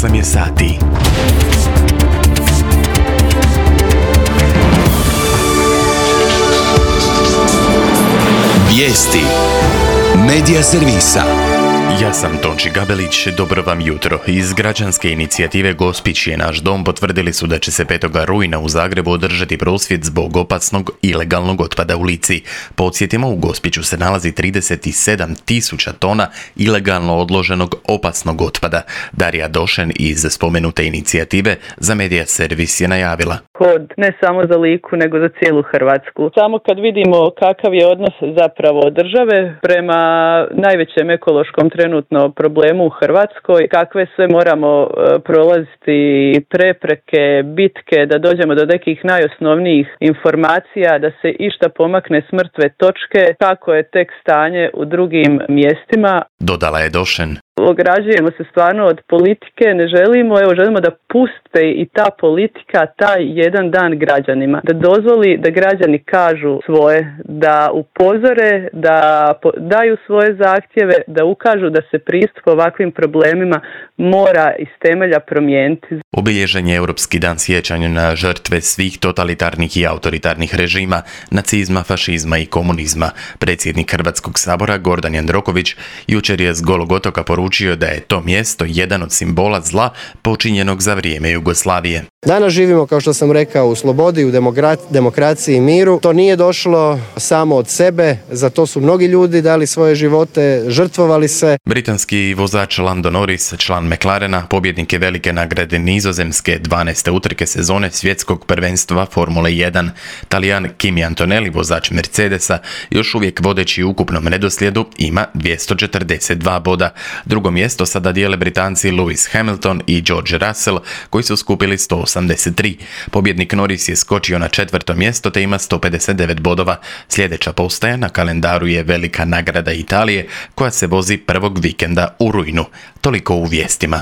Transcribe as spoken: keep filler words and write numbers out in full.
osam je sati. Vijesti Medija servisa. Ja sam Tonči Gabelić, dobro vam jutro. Iz građanske inicijative Gospić je naš dom potvrdili su da će se petog rujna u Zagrebu održati prosvjed zbog opasnog ilegalnog otpada u Lici. Podsjetimo, u Gospiću se nalazi trideset sedam tisuća tona ilegalno odloženog opasnog otpada. Darija Došen iz spomenute inicijative za Medija servis je najavila. Kod ne samo za Liku, nego za cijelu Hrvatsku. Samo kad vidimo kakav je odnos zapravo države prema najvećem ekološkom trenutno problemu u Hrvatskoj, kakve sve moramo prolaziti prepreke, bitke, da dođemo do nekih najosnovnijih informacija, da se išta pomakne s mrtve točke, kako je tek stanje u drugim mjestima. Dodala je Došen. Ograđujemo se stvarno od politike, ne želimo, evo želimo da puste i ta politika taj jedan dan građanima, da dozvoli da građani kažu svoje, da upozore, da daju svoje zahtjeve, da ukažu da se pristup ovakvim problemima mora iz temelja promijeniti. Obilježen je Europski dan sjećanja na žrtve svih totalitarnih i autoritarnih režima, nacizma, fašizma i komunizma. Predsjednik Hrvatskog sabora Gordan Jandroković jučer je s Golog otoka poručio da je to mjesto jedan od simbola zla počinjenog za vrijeme Jugoslavije. Danas živimo, kao što sam rekao, u slobodi, u demokra- demokraciji i miru. To nije došlo samo od sebe, za to su mnogi ljudi dali svoje živote, žrtvovali se. Britanski vozač Lando Norris, član McLarena, pobjednik je velike nagrade Nizozemske dvanaeste utrke sezone svjetskog prvenstva Formule jedan. Talijan Kimi Antonelli, vozač Mercedesa, još uvijek vodeći u ukupnom redoslijedu, ima dvjesto četrdeset dva boda. Drugo mjesto sada dijele Britanci Lewis Hamilton i George Russell, koji su skupili sto osamdeset tri. Pobjednik Norris je skočio na četvrto mjesto te ima sto pedeset devet bodova. Sljedeća postaja na kalendaru je velika nagrada Italije, koja se vozi prvog vikenda u rujnu. Toliko u vijestima.